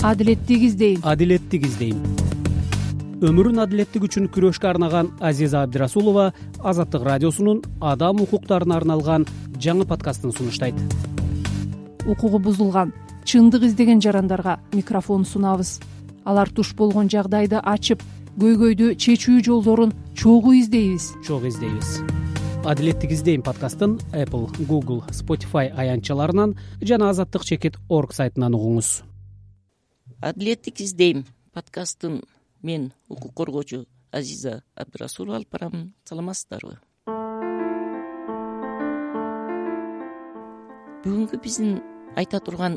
Адилеттик издейм. Адилеттик издейм. Өмүрүн адилеттик үчүн күрөшкө арнаган Азиза Абдирасулова Азаттык радиосунун адам укуктарына арналган жаңы подкастын сунуштайт. Укугу бузулган, чындык издеген жарандарга микрофон сунабыз. Алар туш болгон жагдайды ачып, көйгөйдү чечүү жолдорун чогуу издейбиз. Адилеттик издейм подкастын Apple, Google, Spotify аянтчаларынан жана azattik.org сайтынан угуңуз. Адилеттик издейм подкастын мен укук коргоочу Азиза Абдирасулова алып барам. Саламатсыздарбы? Бүгүнкү биздин айта турган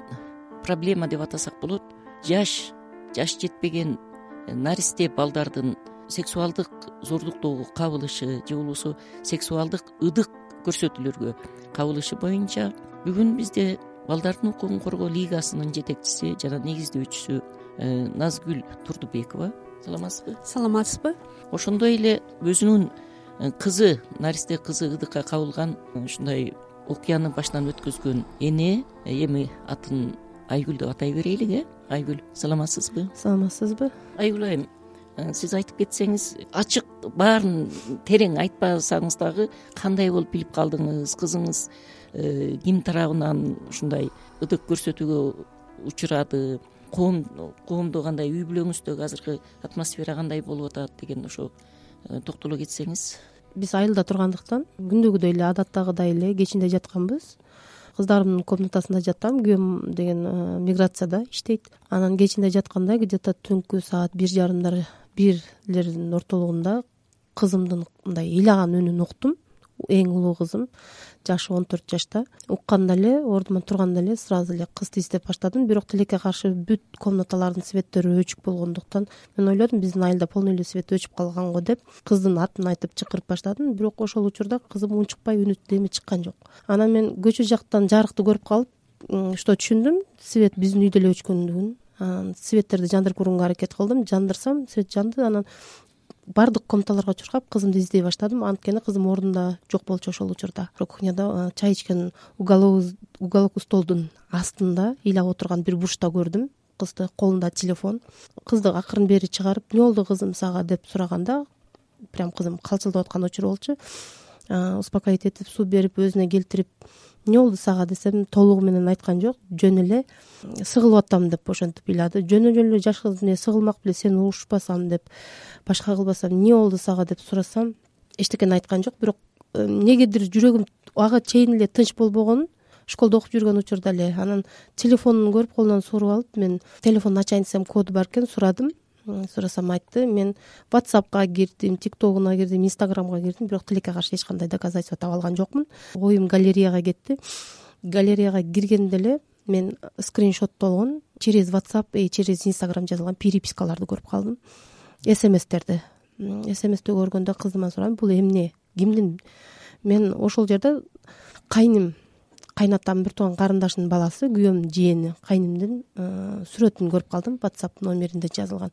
проблема деп атасак болот. Жаш жетпеген наристе балдардын сексуалдык зордуктоого кабылышы же болбосо сексуалдык ыдык көрсөтүүлөргө кабылышы боюнча бүгүн бизде балдардын укугун коргоо лигасынын жетекчиси жана негиздөөчүсү Назгүл Турдубекова. Саламатсызбы? Саламатсызбы? Ошондой эле өзүнүн кызы, наристе кызы ыдыкка кабылган ушундай окуяны башынан өткөзгөн эне, эми атын Айгүл деп атай берейлик, Айгүл, саламатсызбы? Саламатсызбы? Айгүл айым, сиз айтып кетсеңиз, ачык баарын терең айтпасаңыз дагы кандай болуп билип калдыңыз? Кызыңыз ким тарабынан ушундай ыдык көрсөтүүгө учурады? Коомдо кандай, үй бүлөңүздөгү азыркы атмосфера кандай болуп атат деген ошо токтоло кетсеңиз. Биз айылда тургандыктан күндүгүдөй эле адаттагыдай эле кечинде жатканбыз. Кыздарымдын комнатасында жаттым. Күйөөм деген миграцияда иштейт. Анан кечинде жатканда где-то түнкү саат 1:30 бирлердин ортолугунда кызымдын мындай ыйлаган үнүн уктум. Эң улуу кызым, жашы 14 жашта. Укканда эле, ордуман турганда эле сразу эле кызды издеп баштадым. Бирок тилекке каршы бүт комнаталардын светтери өчүк болгондуктан мен ойлодум, биздин айылда полный эле свет өчүп калган го деп, кыздын атын айтып чакырып баштадым. Бирок ошол учурда кызым унчукпай, үнү деми чыккан жок. Анан мен көчө жактан жарыкты көрүп калып, что түшүндүм, свет биздин үйдө эле өчкөндүгүн. Анан светтерди жандырып көргөнгө аракет кылдым. Жандырсам, свет жанды. Анан бардык комнаталарга чуркап кызымды издей баштадым. Анткени кызым ордунда жок болчу ошол учурда. Кухняда чай ичкен уголок столдун астында ыйлап отурган бир бурчта көрдүм. Кызды, колунда телефон. Кызды акырын бери чыгарып, "Эмне болду кызым сага?" деп сураганда, прям кызым калчылдап аткан учур болчу. Успокоить этип, суу берип, өзүнө келтирип, "Эмне болду сага?" десем, толугу менен айткан жок. Жөн эле сыгылып атам деп ошентип ыйлады. Жөн эле жаш кыз эмне сыгылмак беле, сени урушпасам деп, башка кылбасам, "Эмне болду сага?" деп сурасам, эчтекени айткан жок. Бирок эмнегедир жүрөгүм ага чейин эле тынч болбогон. Школдо окуп жүргөн учурда эле. Анан телефонун көрүп, колунан суруп алып, мен телефонду ачайын десем, коду бар экен, сурадым. Сурасам айтты. Мен WhatsApp'ка кирдим, TikTok'уна кирдим, Instagram'га кирдим, бирок тилекке каршы эч кандай доказательство таба алган жокмун. Оюм галереяга кетти. Галереяга киргенде эле мен скриншоттолгон через WhatsApp, через Instagram жазылган перепискаларды көрүп калдым. СМС'терди. СМС'ти көргөндө кызыма сурадым, бул эмне, кимдин? Мен ошол жерде кайнатам, бир тууган карындашынын баласы, күйөөмдүн жээни, кайнымдын сүрөтүн көрүп калдым. WhatsApp номеринде жазылган.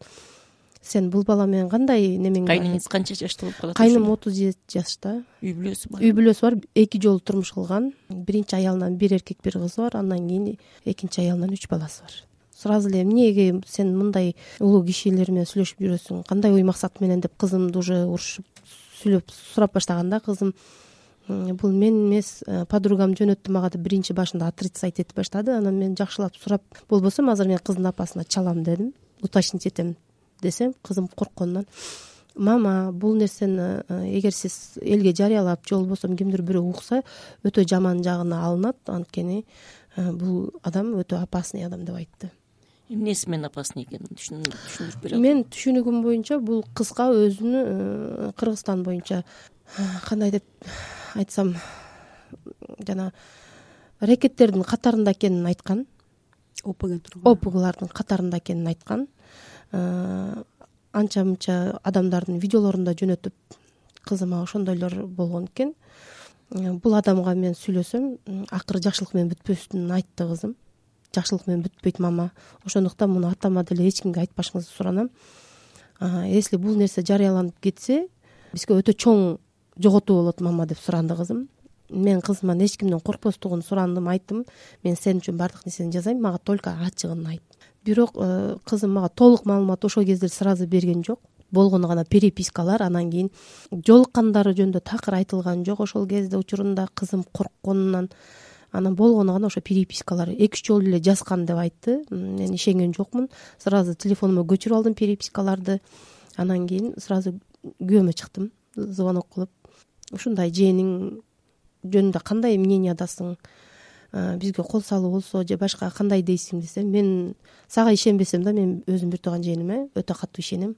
Сен бул бала менен кандай немең? Кайныңыз канча жашта болуп калат? Кайным 37 жашта. Үй бүлөсү бар? Үй бүлөсү бар. 2 жолу турмуш кылган. Биринчи аялынан 1 эркек 1 кызы бар. Андан кийин экинчи аялынан 3 баласы бар. Сразу эле эмнеге сен мындай улуу кишилер менен сүйлөшүп жүрөсүң? Кандай ой максат менен деп кызымды уже урушуп сүйлөп сурап баштаганда, кызым бул мен эмес, подругам жөнөттү мага деп биринчи башында отрицать этип баштады. Анан мен жакшылап сурап, болбосо азыр мен кыздын апасына чалам дедим, уточнить этем десем, кызым коркконунан, "Мама, бул нерсени эгер сиз элге жарыялап, же болбосо кимдир бирөө укса, өтө жаман жагына алынат, анткени бул адам өтө опасный адам" деп айтты. Эмнеси менен опасный экенин түшүндүрүп бере аласыз? Мен түшүнүгүм боюнча бул кызга өзүнү Кыргызстан боюнча кандай деп айтсам, жана рекеттердин катарында экенин айткан. ОПГлардын катарында экенин айткан. Анча мынча адамдардын видеолорун да жөнөтүп, кызыма ошондойлор болгон экен. Бул адамга мен сүйлөсөм, акыры жакшылык менен бүтпөсүн айтты кызым. Жакшылык менен бүтпөйт мама. Ошондуктан муну атама деле эч кимге айтпашыңызды суранам. Если бул нерсе жарыяланып кетсе, бизге өтө чоң жоготуу болот мама деп суранды кызым. Мен кызымдан эч кимден коркпостугун сурандым, айттым. Мен сен үчүн бардык нерсени жасайм, мага только ачыгын айт. бирок кызым мага толук маалымат ошол кезде сразу берген жок. Болгону гана перепискалар, анан кийин жолуккандары жөнүндө такыр айтылган жок ошол кезде учурунда кызым коркконунан. Анан болгону гана ошо перепискалар 2-3 жолу эле жазган деп айтты. Мен ишенген жокмун. Сразу телефонума көчүрүп алдым перепискаларды. Анан кийин сразу күйөөмө чыктым, звонок кылып. Ушундай жээниң жөнүндө кандай мнениядасың? Бизге кол салуу болсо же башка кандай дейсиң десем, мен сага ишенбесем да мен өзүм бир тууган жээниме өтө катуу ишенем.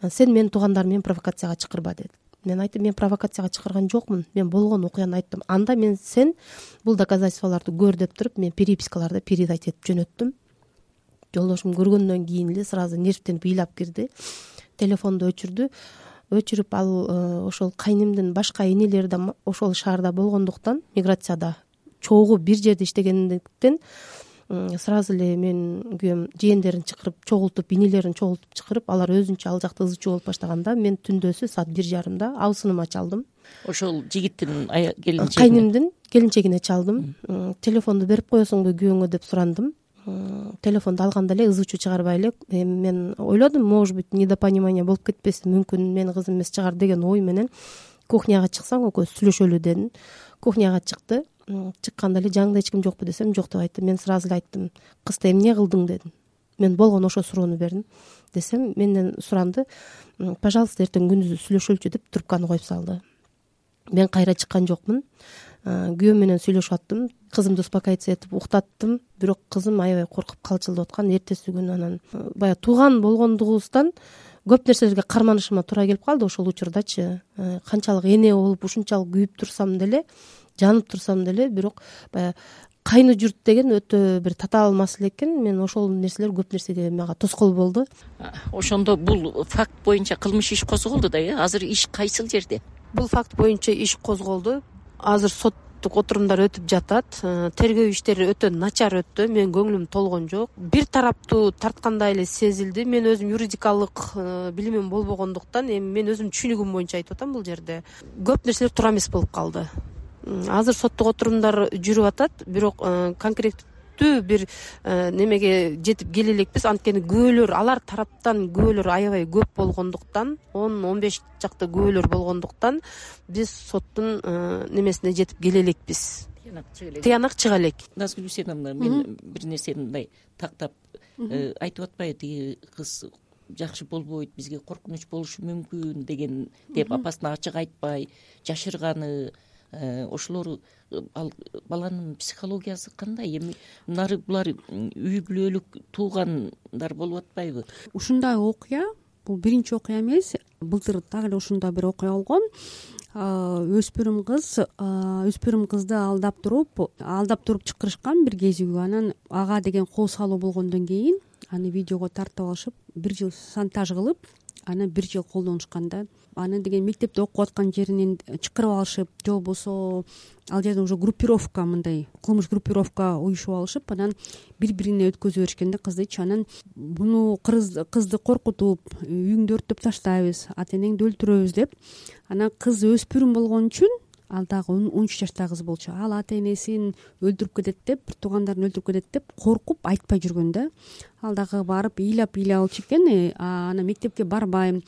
Сен менин туугандарым менен провокацияга чакырба деди. Мен айттым, мен провокацияга чакырган жокмун. Мен болгон окуяны айттым. Анда мен сен бул доказательстволорду көр деп туруп, мен перепискаларды передать этип жөнөттүм. Жолдошум көргөндөн кийин эле сразу нервтенип ыйлап кирди. Телефонду өчүрүп ал ошол кайнимдин башка энелери да ошол шаарда болгондуктан, миграцияда чогуу бир жерде иштегендиктен сразу эле мен күйөөм жээндерин чакырып чогултуп, инелерин чогултуп чакырып, алар өзүнчө ал жакта ызы чуу болуп баштаганда мен түндөсү саат 1:30 абысыныма чалдым. Ошол жигиттин келинчегине, кайнимдин келинчегине чалдым. Телефонду берип коесуңбу күйөөңө деп сурандым. Телефонду алганда эле ызы чуу чыгарбай эле мен ойлодум, может быть недопонимание болуп кетпеси мүмкүн, менин кызым эмес чыгар деген ой менен кухняга чыксаң экөөбүз сүйлөшөлү дедим. Кухняга чыкты. Чыкканда эле жаңында эч ким жокпу десем, жок деп айтты. Мен сразу эле айттым, кызды эмне кылдың дедим. Мен болгону ошо суроону бердим. Десем менден суранды, пожалуйста эртең күндүзү сүйлөшөлүчү деп трубканы коюп салды. Мен кайра чыккан жокмун. Күйөөм менен сүйлөшүп аттым. Кызымды успокаиваться этип уктаттым. Бирок кызым аябай коркуп калчылдап аткан. Эртеси күнү анан баягы тууган болгондугубуздан көп нерселерге карманышыма туура келип калды ошол учурдачы. Канчалык эне болуп ушунчалык күйүп турсам деле, жанып турсам деле, бирок баягы кайны журт деген өтө бир татаал маселе экен. Мен ошол нерселер көп нерсеге мага тоскоол болду. Ошондо бул факт боюнча кылмыш иш козголду да, азыр иш кайсыл жерде? Бул факт боюнча иш козголду. Азыр соттук отурумдар өтүп жатат. Тергөө иштери өтө начар өттү. Менин көңүлүм толгон жок. Бир тараптуу тарткандай эле сезилди. Мен өзүм юридикалык билимим болбогондуктан, эми мен өзүм түшүнүгүм боюнча айтып атам, бул жерде көп нерселер туура эмес болуп калды. Азыр соттук отурумдар жүрүп атат, бирок конкреттүү бир немеге жетип келе элекпиз. Анткени күбөлөр, алар тараптан күбөлөр аябай көп болгондуктан, 10-15 чакты күбөлөр болгондуктан биз соттун немесине жетип келе элекпиз. Тыянак чыга элек. Назгүл Үсеновна, мен бир нерсени мындай тактап айтып атпайбы, тиги кыз жакшы болбойт, бизге коркунуч болушу мүмкүн деген деп апасына ачык айтпай жашырганы, ошолор ал баланын психологиясы кандай? Эми нары булар үй бүлөлүк туугандар болуп атпайбы? Ушундай окуя бул биринчи окуя эмес. Былтыр дагы эле ушундай бир окуя болгон. Өспүрүм кызды алдап туруп чакырышкан бир кезүү. Анан ага деген кол салуу болгондон кийин аны видеого тартып алышып, 1 жыл шантаж кылып, анан 1 жыл колдонушкан да. Аны деген мектепте окуп аткан жеринен чакырып алышып, же болбосо ал жерде уже группировка, мындай кылмыш группировка уюшуп алышып, анан бири-бирине өткөзүп беришкен да кыздычы. Анан буну кызды коркутуп, үйүңдү өрттөп таштайбыз, ата энеңди өлтүрөбүз деп. Анан кыз өспүрүм болгон үчүн, ал дагы 13 жаштагы кыз болчу. Ал ата энесин өлтүрүп кетет деп, бир туугандарын өлтүрүп кетет деп коркуп айтпай жүргөн да. Ал дагы барып ыйлап алчу экен. Анан мектепке барбайм,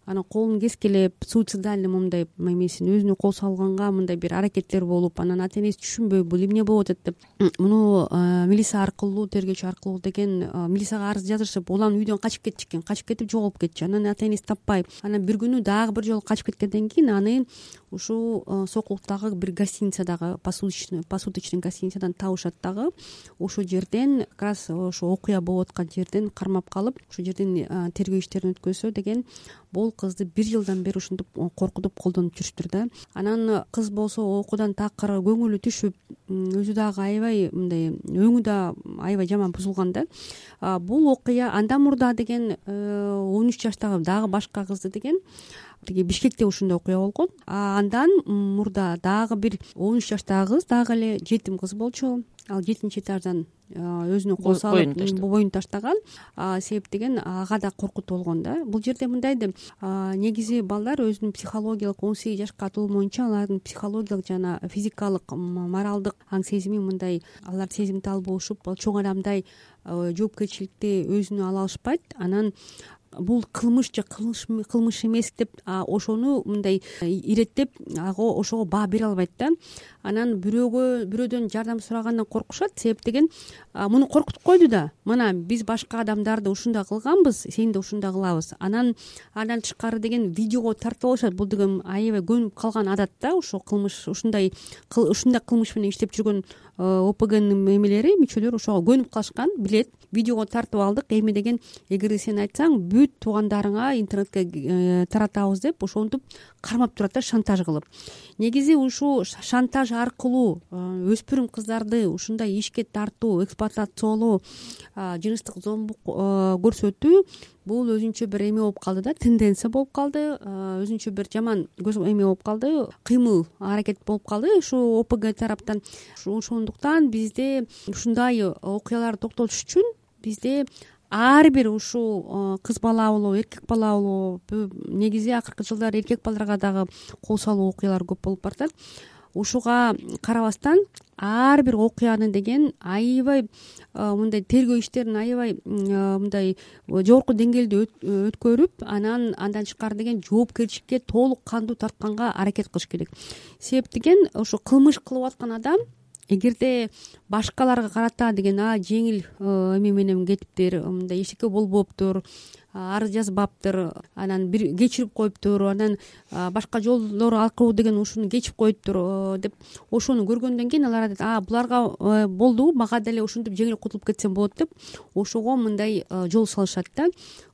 анан колун кескилеп, суицидальный мындай эмесин өзүнө кол салганга мындай бир аракеттер болуп, анан ата энеси түшүнбөй бул эмне болуп атат деп, муну милиция аркылуу, тергөөчү аркылуу деген милицияга арыз жазышып, улам үйдөн качып кетчү экен. Качып кетип жоголуп кетчү. Анан ата энеси таппай. Анан бир күнү дагы бир жолу качып кеткенден кийин аны ушул Сокулуктагы бир гостиницадагы, посудочный гостиницадан табышат дагы. Ошол жерден как раз ошо окуя болуп аткан жерден кармап калып, ошол жерден тергөө иштерин өткөзсө деген, бул кызды 1 жылдан бери ушинтип коркутуп колдонуп жүрүштүр да. Анан кыз болсо окуудан такыр көңүлү түшүп, өзү дагы аябай мындай өңү да аябай жаман бузулган да. Бул окуя андан мурда деген 13 жаштагы дагы башка кызды деген тиги Бишкекте ушундай окуя болгон. Андан мурда дагы бир 13 жаштагы кыз дагы эле жетим кыз болчу. Ал 7-этаждан өзүнө кол салып боюн таштаган. Себеп деген ага да коркутуу болгон да. Бул жерде мындай деп, негизи балдар өзүнүн психологиялык 18 жашка толмоюнча алардын психологиялык жана физикалык, моралдык аң сезими мындай, алар сезимтал болушуп, чоң адамдай жоопкерчиликти өзүнө ала алышпайт. Анан бул кылмыш же кылмыш эмес деп ошону мындай иреттеп ошого баа бере албайт да. Анан бирөөдөн жардам сурагандан коркушат. Себеп деген муну коркутуп койду да, мына биз башка адамдарды ушундай кылганбыз, сени да ушундай кылабыз. Андан тышкары деген видеого тартып алышат. Бул деген аябай көнүп калган адат да. Ошо кылмыш ушундай кылмыш менен иштеп жүргөн ОПГнын эмелери, мүчөлөрү ошого көнүп калышкан, билет. Видеого тартып алдык, эми деген эгерде сен айтсаң бүт туугандарыңа интернетке таратабыз деп ошентип кармап турат да, шантаж кылып. Негизи ушул шантаж аркылуу өспүрүм кыздарды ушундай ишке тартуу, эксплуатациялоо, жыныстык зомбук көрсөтүү бул өзүнчө бир эме болуп калды да, тенденция болуп калды, өзүнчө бир жаман эме болуп калды, кыймыл аракет болуп калды ушу ОПГ тараптан. Ошондуктан бизде ушундай окуяларды токтотуш үчүн бизде ар бир ушул кыз бала болобу, эркек бала болобу, негизи акыркы жылдары эркек балдарга дагы кол салуу окуялары көп болуп баратат. Ушуга карабастан ар бир окуяны деген аябай мындай тергөө иштерин аябай мындай жогорку деңгээлде өткөрүп, андан тышкары деген жоопкерчиликке толук кандуу тартканга аракет кылыш керек. Себеп деген ошо кылмыш кылып аткан адам эгерде башкаларга карата деген жеңил эме менен кетиптир, мындай эчтеке болбоптур, арыз жазбаптыр, анан бир кечирип коюптур, анан башка жолдор аркылуу деген ушуну кечип коюптур деп ошону көргөндөн кийин алар айтат, буларга болду, мага деле ушинтип жеңил кутулуп кетсем болот деп ошого мындай жол салышат да.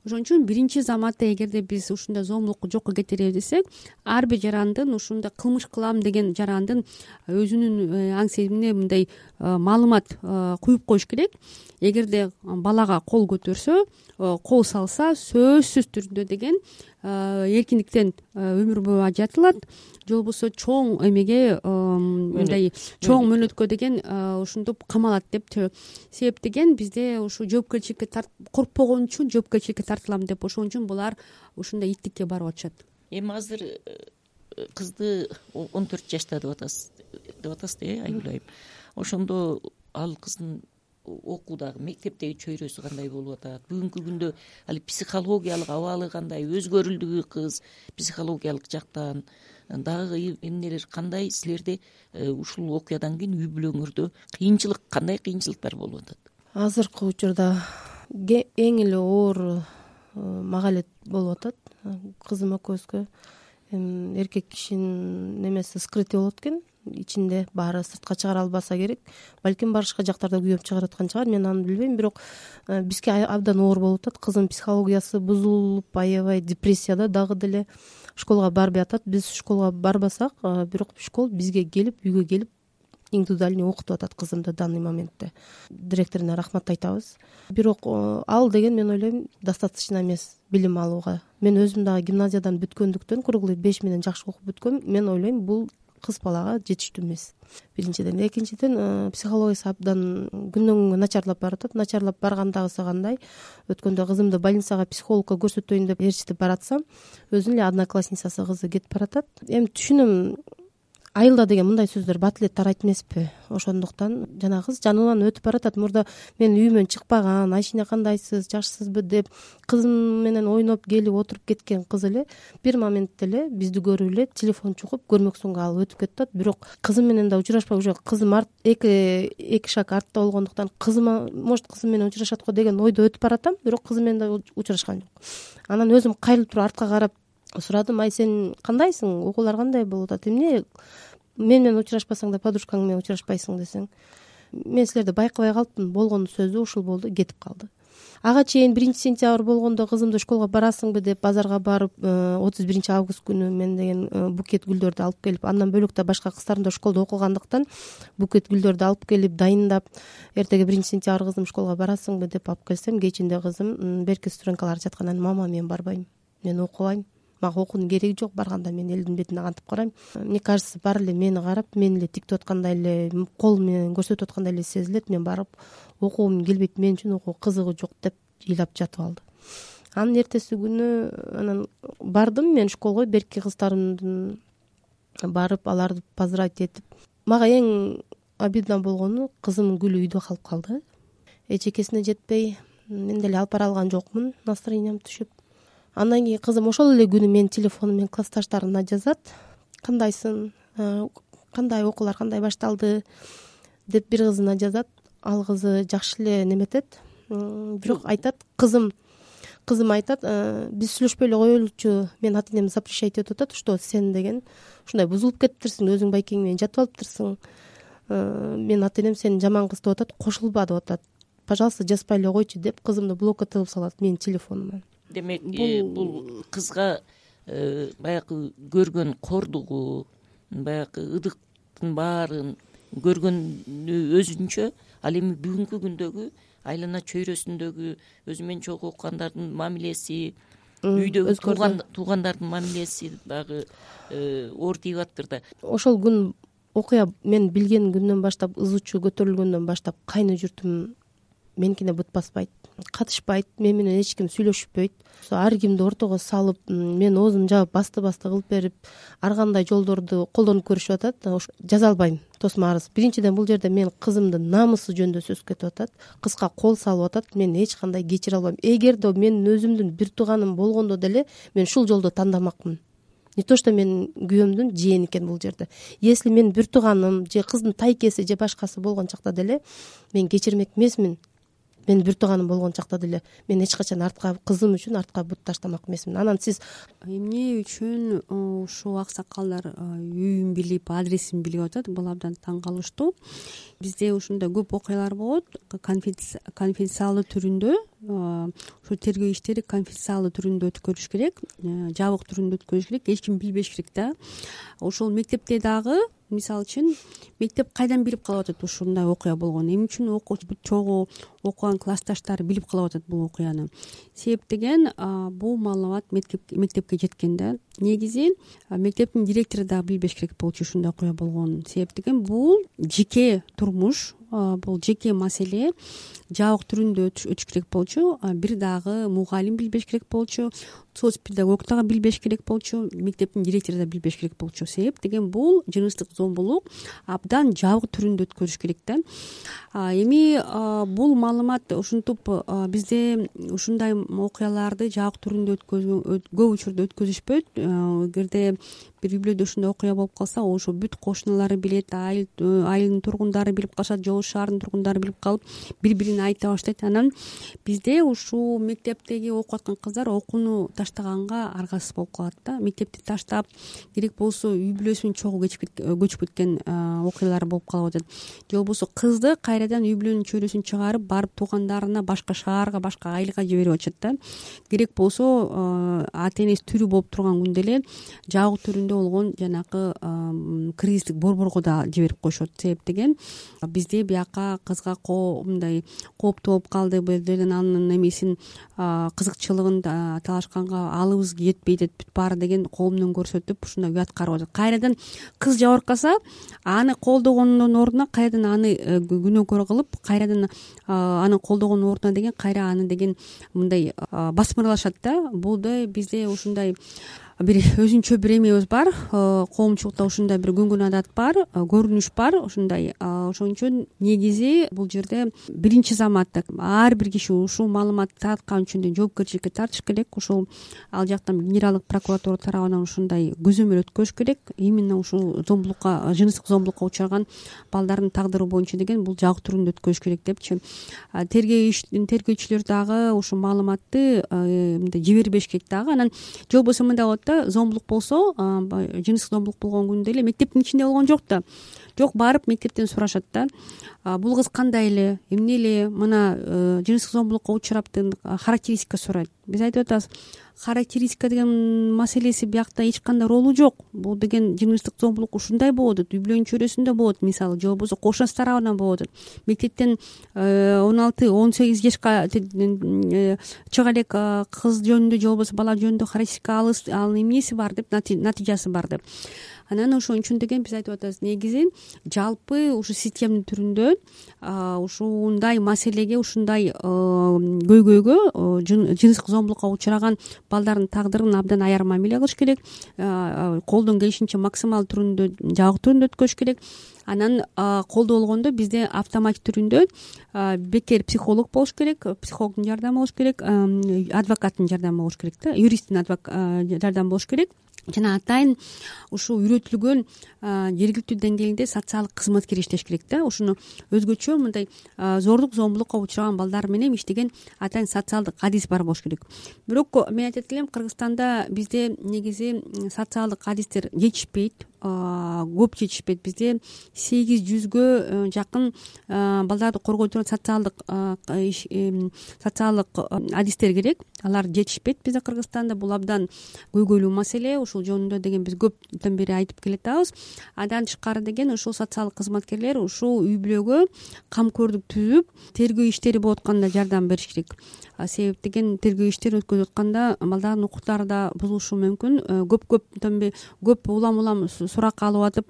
Ошон үчүн биринчи заматта эгерде биз ушундай зомбулукку жокко кетиребиз десек, ар бир жарандын ушундай кылмыш кылам деген жарандын өзүнүн аң сезимине мындай маалымат куюп коюш керек. Эгерде балага кол көтөрсө, кол салса, сөзсүз түрдө деген эркиндиктен өмүр бою ажыратылат, же болбосо чоң эмеге мындай чоң мөөнөткө деген ушинтип камалат деп. Себеп деген бизде ушу жоопкерчиликке коркпогон үчүн жоопкерчиликке тартылам деп, ошон үчүн булар ушундай иттикке барып атышат. Эми азыр кызды 14 жашта деп атасыз, Айгүл айым. Ошондо ал кыздын окуудагы мектептеги чөйрөсү кандай болуп атат? Бүгүнкү күндө ал психологиялык абалы кандай? Өзгөрүлдүбү кыз психологиялык жактан? Дагы эмнелер кандай силерде ушул окуядан кийин үй бүлөңөрдө кандай кыйынчылыктар болуп атат? Азыркы учурда эң эле оор мага эле болуп атат. Кызым экөөбүзгө эркек кишинин немеси скрытый болот экен. Ичинде баары сыртка чыгара албаса керек. Балким башка жактарда күйөп чыгарып аткан чыгар, мен аны билбейм. Бирок бизге абдан оор болуп атат. Кызым психологиясы бузулуп, аябай депрессияда дагы деле школго барбай атат. Биз школго барбасак, бирок школ бизге келип, үйгө келип индивидуальный окутуп атат кызымды данный моментте. Директоруна рахмат айтабыз. Бирок ал деген мен ойлойм достаточно эмес билим алууга. Мен өзүм дагы гимназиядан бүткөндүктөн, круглый 5 менен жакшы окуп бүткөм. Мен ойлойм бул кыз балага жетиштүү эмес. Биринчиден, экинчиден психологиясы абдан күндөн күнгө начарлап баратат. Начарлап баргандагысы кандай? Өткөндө кызымды больницага психологко көрсөтөйүн деп ээрчитип баратсам, өзүнүн эле одноклассницасы кызы кетип баратат. Эми түшүнөм, айылда деген мындай сөздөр бат эле тарайт эмеспи? Ошондуктан жана кыз жанынан өтүп баратат. Мурда мен үйүмөн чыкпаган, Айшине кандайсыз, жакшысызбы деп кызым менен ойноп келип отуруп кеткен кыз эле бир моментте эле бизди көрүп эле телефон чугуп көрмөксөнгө алып өтүп кетип атат. Бирок кызым менен да учурашпай, уже кызым эки шаг артта болгондуктан кызыма может кызым менен учурашат го деген ойдо өтүп баратам, бирок кызым менен да учурашкан жок. Анан өзүм кайрылып туруп артка карап сурадым, ай сен кандайсың, окуулар кандай болуп атат, эмне мен менен учурашпасаң да подружкаң менен учурашпайсың десең, мен силерди байкабай калыптын, болгон сөзү ушул болду, кетип калды. Ага чейин 1-сентябрь болгондо кызымды школго барасыңбы деп базарга барып, 31-август күнү мен деген букет гүлдөрдү алып келип, андан бөлөк да башка кыздарым да школдо окугандыктан букет гүлдөрдү алып келип дайындап, эртеге 1-сентябрь кызым школго барасыңбы деп алып келсем, кечинде кызым берки студенткалар жаткандан, мама мен барбайм, мен окубайм, мага окуунун кереги жок, барганда мен элдин бетине кантип карайм. Мне кажется, баары эле мени карап, мени эле тиктеп аткандай эле, кол менен көрсөтүп аткандай эле сезилет. Мен барып окугум келбейт, мен үчүн окуу кызыгы жок деп ыйлап жатып алды. Анын эртеси күнү анан бардым мен школго, берки кыздарымдын барып аларды поздравить этип. Мага эң обидно болгону кызымдын гүлү үйдө калып калды. Эчекесине жетпей, мен деле алып бара алган жокмун, настроениям түшүп. Андан кийин кызым ошол эле күнү менин телефону менен классташтарына жазат: кандайсың, кандай окуулар кандай башталды деп бир кызына жазат. Ал кызы жакшы эле неметет, бирок айтат, кызым айтат: биз сүйлөшпөй эле коелучу, мен ата энем запрещать этип атат, что сен деген ушундай бузулуп кетиптирсиң, өзүң байкең менен жатып алыптырсың, мен ата энем сени жаман кыз деп атат, кошулба деп атат, пожалуйста жазбай эле койчу деп кызымды блокко тыгып салат менин телефонуман. Демек бул кызга баягы көргөн кордугу, баягы ыдыктын баарын көргөнү өзүнчө, ал эми бүгүнкү күндөгү айлана чөйрөсүндөгү өзү менен чогуу окугандардын мамилеси, үйдөгү туугандардын мамилеси дагы оор тийип атыптыр да. Ошол күн окуя мен билген күндөн баштап, ыз учу көтөрүлгөндөн баштап кайны журтум меникине бут баспайт, катышпайт, мен менен эч ким сүйлөшпөйт. Ар кимди ортого салып, мен оозумду жаап басты кылып берип, ар кандай жолдорду колдонуп көрүшүп атат. Жаза албайм тосмо арыз. Биринчиден, бул жерде мен кызымдын намысы жөнүндө сөз кетип атат. Кызга кол салып атат, мен эч кандай кечире албайм. Эгерде менин өзүмдүн бир тууганым болгондо деле мен ушул жолду тандамакмын. Не то что менин күйөөмдүн жээни экен бул жерде. Если мен бир тууганым же кыздын тайкеси же башкасы болгон чакта деле мен кечирмек эмесмин. Мен бир тууганым болгон чакта деле мен эч качан артка, кызым үчүн артка бут таштамак эмесмин. Анан сиз эмне үчүн ушул аксакалдар үйүн билип, адресин билип атат, бул абдан таң калыштуу. Бизде ушундай көп окуялар болот, конфиденциалдуу түрүндө, ушу тергөө иштери конфиденциалдуу түрүндө өткөрүш керек, жабык түрүндө өткөрүш керек, эч ким билбеш керек да. Ошол мектепте дагы, мисалы үчүн, мектеп кайдан билип калып атат ушундай окуя болгонун, эмне үчүн чогуу окуган классташтары билип калып атат бул окуяны? Себеп деген, бул маалымат мектепке жеткен да. Негизи мектептин директору дагы билбеш керек болчу ушундай окуя болгонун. Себеп деген, бул жеке турмуш, бул жеке маселе, жабык түрүндө өтүш керек болчу. Бир дагы мугалим билбеш керек болчу, соц педагог дагы билбеш керек болчу, мектептин директору да билбеш керек болчу. Себеп деген, бул жыныстык зомбулук абдан жабык түрүндө өткөрүш керек да. Эми бул маалымат ушинтип бизде ушундай окуяларды жабык түрүндө көп учурда өткөзүшпөйт. Эгерде бир үй бүлөдө ушундай окуя болуп калса, ошо бүт кошуналары билет, айылдын тургундары билип калышат, жол шаардын тургундары билип калып, бири-бирине айта баштайт. Анан бизде ушул мектептеги окуп аткан кыздар окууну таштаганга аргасыз болуп калат да. Мектепти таштап, керек болсо үй бүлөсүн чогуу көчүп кеткен окуялар болуп калып атат. Же болбосо кызды кайрадан үй бүлөнүн чөйрөсүн чыгарып, барып туугандарына, башка шаарга, башка айылга жиберип атышат да. Керек болсо ата энеси тирүү болуп турган күндө эле жабык түрүндө болгон жанагы кризистик борборго да жиберип коюшат. Себеп деген, бизде бияка кызга мындай кооптуу болуп калды, бул жерден анын эмесин, кызыкчылыгын талашканга алыбыз жетпей дейт, бүт баары деген колунан көрсөтүп ушундай уят карап атат. Кайрадан кыз жабыркаса, аны колдогондун ордуна кайрадан аны күнөөкөр кылып, кайрадан аны колдогондун ордуна деген кайра аны деген мындай басмырлашат да. Бул бизде ушундай бир өзүнчө бир эмебиз бар, коомчулукта ушундай бир күнгөн адат бар, көрүнүш бар ушундай. Ошон үчүн негизи бул жерде биринчи заматта ар бир киши ушул маалыматты тараткан үчүн жоопкерчиликке тартыш керек. Ушул ал жактан генералдык прокуратура тарабынан ушундай көзөмөл өткөрүш керек. Именно ушул зомбулукка, жыныстык зомбулукка учураган балдардын тагдыры боюнча деген бул жабык түрүндө өткөрүш керек депчи. Тергөөчүлөр дагы ушул маалыматты мындай жибербеш керек дагы. Анан же болбосо мындай болот да, зомбулук болсо, жыныстык зомбулук болгон күндө эле мектептин ичинде болгон жок да. жок, барып мектептен сурашат да, бул кыз кандай эле, эмне эле, мына жыныстык зомбулукка учраптын характеристика сурайт. Биз айтып атабыз, характеристика деген маселеси биякта эч кандай ролу жок. Бул деген жыныстык зомбулук ушундай болуп атат, үй бүлөнүн чөйрөсүндө болот мисалы, же болбосо кошунасы тарабынан болуп атат. Мектептен 16-18 жашка чыга элек кыз жөнүндө же болбосо бала жөнүндө характеристика ал эмнеси бар деп, натыйжасы бар деп. Анан ошон үчүн деген биз айтып атабыз, негизи жалпы ушу системдин түрүндө ушундай маселеге, ушундай көйгөйгө, жыныстык зомбулукка учураган балдардын тагдырын абдан аяр мамиле кылыш керек, колдон келишинче максималдуу түрүндө, жабык түрүндө өткөзүш керек. Анан колдоо болгондо бизде автоматик түрүндө бекер психолог болуш керек, психологдун жардамы болуш керек, адвокаттын жардамы болуш керек да, юристтин жардамы болуш керек. Жана атайын ушул үйрөтүлгөн жергиликтүү деңгээлде социалдык кызматкер иштеш керек да. Ушуну өзгөчө мындай зордук зомбулукка учураган балдар менен иштеген атайын социалдык адис бар болуш керек. Бирок мен айтат элем, Кыргызстанда бизде негизи социалдык адистер жетишпейт, көп жетишпейт. Бизде 800гө жакын балдарды коргой турган социалдык адистер керек. Алар жетишпейт бизде Кыргызстанда. Бул абдан көйгөйлүү маселе. Ушул жөнүндө деген биз көптөн бери айтып келатабыз. Андан тышкары деген ушул социалдык кызматкерлер ушул үй бүлөгө камкордук түзүп, тергөө иштери болуп атканда жардам бериш керек. Себеп деген тергөө иштери өткөзүп атканда балдардын укуктары да бузулушу мүмкүн. Көп улам суракка алып атып,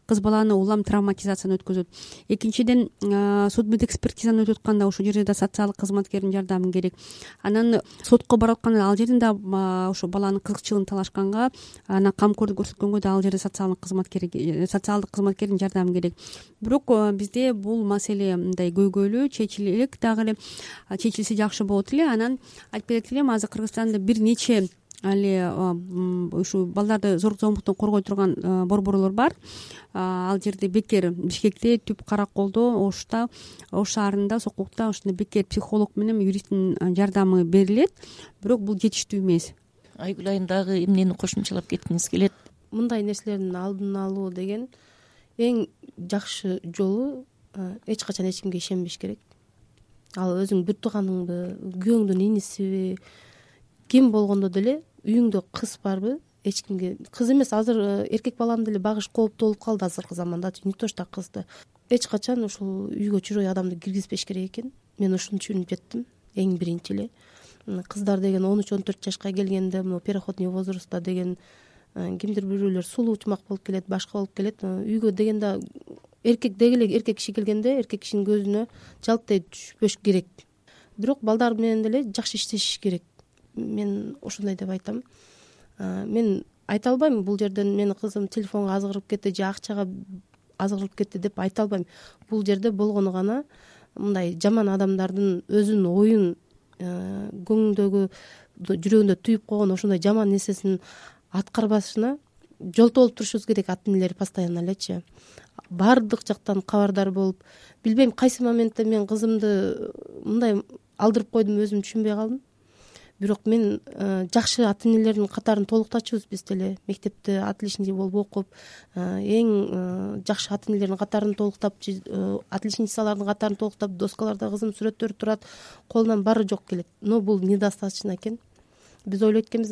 кыз баланы улам травматизацияны өткөзөт. Экинчиден, судмедэкспертизаны өтүп атканда ушул жерде да социалдык кызматкердин жардамы керек. Анан сотко барып атканда ал жерден да ушул баланын кызыкчылыгын талашканга, анан камкордук көрсөткөнгө да ал жерде социалдык кызматкердин жардамы керек. Бирок бизде бул маселе мындай көйгөйлүү, чечилек дагы эле, чечилсе жакшы болот эле. Анан айтып кетет элем, азыр Кыргызстанда бир нече ушу балдарды зордук зомбулуктан коргой турган борборлор бар. Ал жерде бекер Бишкекте, Түп Караколдо, Ошта, Ош шаарында, Сокулукта ушундай бекер психолог менен юристтин жардамы берилет. Бирок бул жетиштүү эмес. Айгүл айым, дагы эмнени кошумчалап кеткиңиз келет? Мындай нерселердин алдын алуу деген эң жакшы жолу эч качан эч кимге ишенбеш керек. Ал өзүң бир тууганыңбы, күйөөңдүн инисиби, ким болгондо деле үйүңдө кыз барбы, эч кимге, кыз эмес, азыр эркек баланы деле багыш кооптуу болуп калды азыркы заманда, не то что кызды. Эч качан ушул үйгө чужой адамды киргизбеш керек экен. Мен ушуну түшүнүп жеттим эң биринчи эле. Кыздар деген 13-14 жашка келгенде, мына переходный возрастта деген кимдир бирөөлөр сулуу учмак болуп келет, башка болуп келет. Үйгө дегенде эркек деги эле эркек киши келгенде эркек кишинин көзүнө жалптай түшпөш керек. Бирок балдар менен деле жакшы иштешиш керек. Мен ошондой деп айтам. Мен айта албайм бул жерден менин кызым телефонго азгырып кетти же акчага азгырып кетти деп айта албайм. Бул жерде болгону гана мындай жаман адамдардын өзүнүн оюн, көңүндөгү, жүрөгүндө түйүп койгон ошондой жаман нерсесин аткарбашына жолтоо болуп турушубуз керек, ата энелер постоянно элечи. Баардык жактан кабардар болуп, билбейм кайсы моментте мен кызымды мындай алдырып койдум, өзүм түшүнбөй калдым. Бирок мен жакшы ата энелердин катарын толуктачубуз биз деле. Мектепте отличник болуп окуп, эң жакшы ата энелердин катарын толуктап, отличницалардын катарын толуктап, доскаларда кызым сүрөттөрү турат, колунан баары жок келет. Но бул недостаточно экен. Биз ойлойт экенбиз,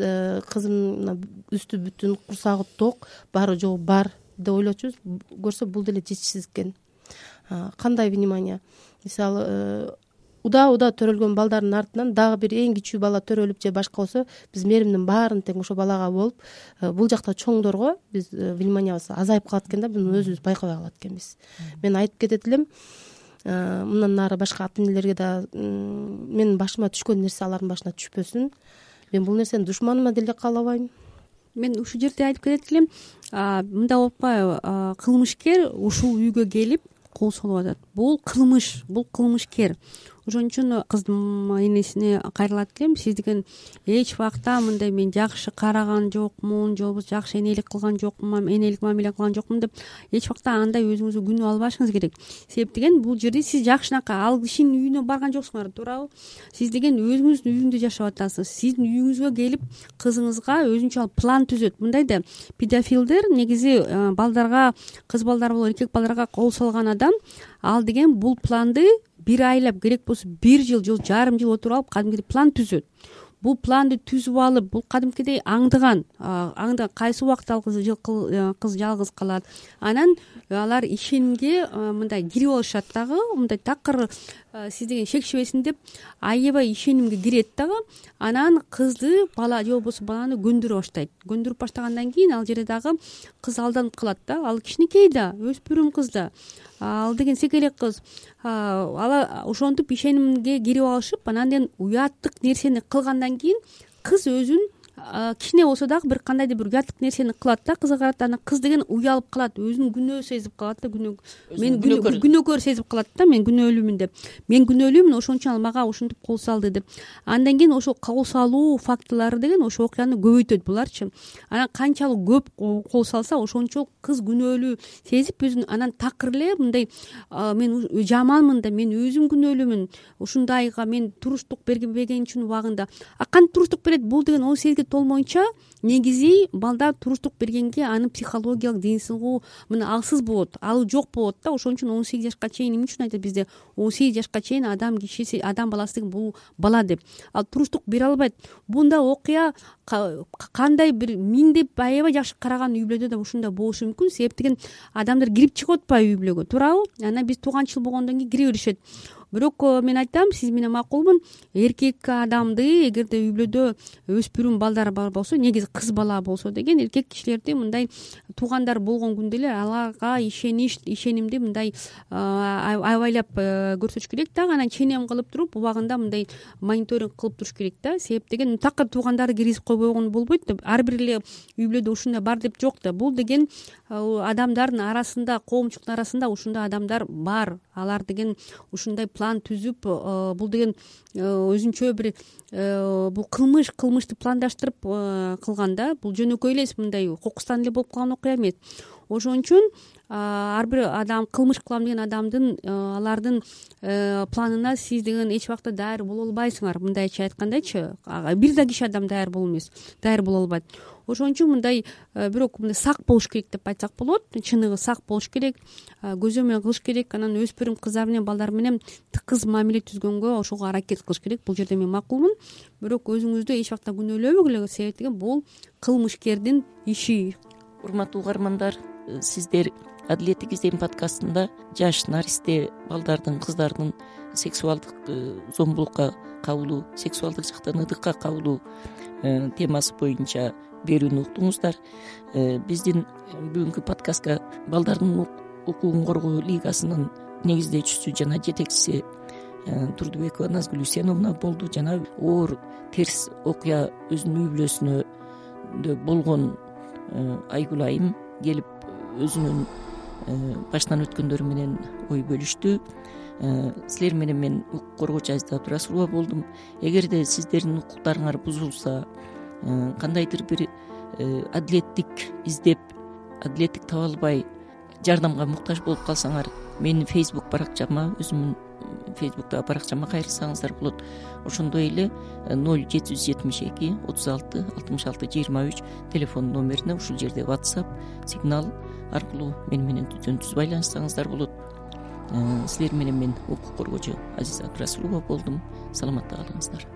кызым үстү бүтүн, курсагы ток, баары жогу бар деп ойлочубуз. Көрсө бул деле жетишсиз экен. Кандай внимание? Мисалы, удаа төрөлгөн балдардын артынан дагы бир эң кичүү бала төрөлүп же башка болсо, биз мээримдин баарын тең ошо балага болуп, бул жакта чоңдорго биз вниманиябыз азайып калат экен да, буну өзүбүз байкабай калат экенбиз. Мен айтып кетет элем, мындан нары башка ата энелерге да менин башыма түшкөн нерсе алардын башына түшпөсүн. Мен бул нерсени душманыма деле каалабайм. Мен ушул жерде айтып кетет элем, мындай болуп атпайбы, кылмышкер ушул үйгө келип кол солуп атат. Бул кылмыш, бул кылмышкер. ошон үчүн кыздын энесине кайрылат элем. Сиз деген эч убакта мындай мен жакшы караган жокмун, же болбосо жакшы энелик кылган жокмун, энелик мамиле кылган жокмун деп эч убакта андай өзүңүзгө күнөө албашыңыз керек. Себеп деген бул жерде сиз жакшынакай ал кишинин үйүнө барган жоксуңар, туурабы? Сиз деген өзүңүздүн үйүңдү жашап атасыз. Сиздин үйүңүзгө келип кызыңызга өзүнчө план түзөт. Мындай да педофилдер негизи балдарга, кыз балдар болобу эркек балдарга кол салган адам, ал деген бул планды бир айлап, керек болсо 1 жыл же жарым жыл отуруп алып кадимкидей план түзөт. Бул планды түзүп алып, бул кадимкидей аңдыган кайсы убакта ал кыз жалгыз калат. Анан алар ишенимге мындай кирип алышат дагы, мындай такыр сиз деген шекшебесин деп аябай ишенимге кирет дагы. Анан кызды, бала же болбосо баланы көндүрө баштайт. Көндүрүп баштагандан кийин ал жерде дагы кыз алданып калат да. Ал кичинекей да, өспүрүм кыз да. Ал деген секелек кыз. Ал ошентип ишенимге кирип алышып, анан кийин уяттык нерсени кылгандан кийин кыз өзүн кичине болсо дагы бир кандайдыр бир уяттык нерсени кылат да кызга карата. Анан кыз деген уялып калат, өзүн күнөө сезип калат да, мен күнөөкөр сезип калат да, мен күнөөлүүмүн деп. Мен күнөөлүүмүн, ошон үчүн ал мага ушинтип кол салды деп. Андан кийин ошол кол салуу фактылары деген ошол окуяны көбөйтөт буларчы. Анан канчалык көп кол салса, ошончо кыз күнөөлүү сезип өзүн анан такыр эле мындай мен жаманмын да, мен өзүм күнөөлүүмүн, ушундайга мен туруштук берген үчүн убагында. Кантип туруштук берет? Бул деген 18 толмоюнча негизи балдар туруштук бергенге анын психологиялык деңсиздиги мына алсыз болот, ал жок болот да. Ошон үчүн 18 жашка чейин эмне үчүн айтат бизде 18 жашка чейин адам кишиси, адам баласы деген бул бала деп. Ал туруштук бере албайт. Бундай окуя кандай бир миңдеп аябай жакшы караган үй бүлөдө да ушундай болушу мүмкүн. Себеп деген адамдар кирип чыгып атпайбы үй бүлөгө, туурабы? Анан биз тууганчыл болгондон кийин кире беришет. Бирок мен айтам, сиз менен макулмун, эркек адамды эгерде үй бүлөдө өспүрүм балдар бар болсо, негизи кыз бала болсо деген эркек кишилерди мындай туугандар болгон күндө эле аларга ишенимди мындай аябайлап көрсөтүш керек да. Анан ченем кылып туруп убагында мындай мониторинг кылып туруш керек да. Себеп деген такыр туугандарды киргизип койбогон болбойт да. Ар бир эле үй бүлөдө ушундай бар деп жок да. Бул деген адамдардын арасында, коомчулуктун арасында ушундай адамдар бар. Алар деген ушундай план түзүп, бул деген өзүнчө бир бул кылмышты пландаштырып кылган да. Бул жөнөкөй эле мындай кокустан эле болуп калган окуя эмес. Ошон үчүн ар бир адам кылмыш кылам деген адамдын алардын планына сиз деген эч убакта даяр боло албайсыңар. Мындайча айткандачы, бир да киши адам даяр боло албайт. Ошон үчүн мындай бирок мындай сак болуш керек деп айтсак болот. Чыныгы сак болуш керек, көзөмөл кылыш керек. Анан өспүрүм кыздар менен балдар менен тыкыз мамиле түзгөнгө ошого аракет кылыш керек. Бул жерде мен макулмун. Бирок өзүңүздү эч убакта күнөөлөбөгүлө. Себеп деген бул кылмышкердин иши. Урматтуу угармандар, сиздер Адилеттик издем подкастында жаш наристе балдардын, кыздардын сексуалдык зомбулукка кабылуу, сексуалдык жактан ыдыкка кабылуу темасы боюнча берүүнү уктуңуздар. Биздин бүгүнкү подкастка балдардын укугун коргоо лигасынын негиздөөчүсү жана жетекчиси Турдубекова Назгүл Үсеновна болду. Жана оор терс окуя өзүнүн үй бүлөсүнө болгон Айгүл айым келип өзүнүн баштан өткөндөрү менен ой бөлүштү. Силер менен мен укук коргоочу Азиза Абдырасулова болдум. Эгерде сиздердин укуктарыңар бузулса, кандайдыр бир адилеттик издеп, адилеттик таба албай жардамга муктаж болуп калсаңар, менин Facebook баракчама, өзүмдүн Facebook'тагы баракчама кайрылсаңыздар болот. Ошондой эле 0772 36 66 23 телефон номерине, ушул жерде WhatsApp сигнал аркылуу менен түз байланышсаңыздар болот. Силер менен мен укук коргоочу Азиза Абдырасулова болдум. Саламатта калыңыздар.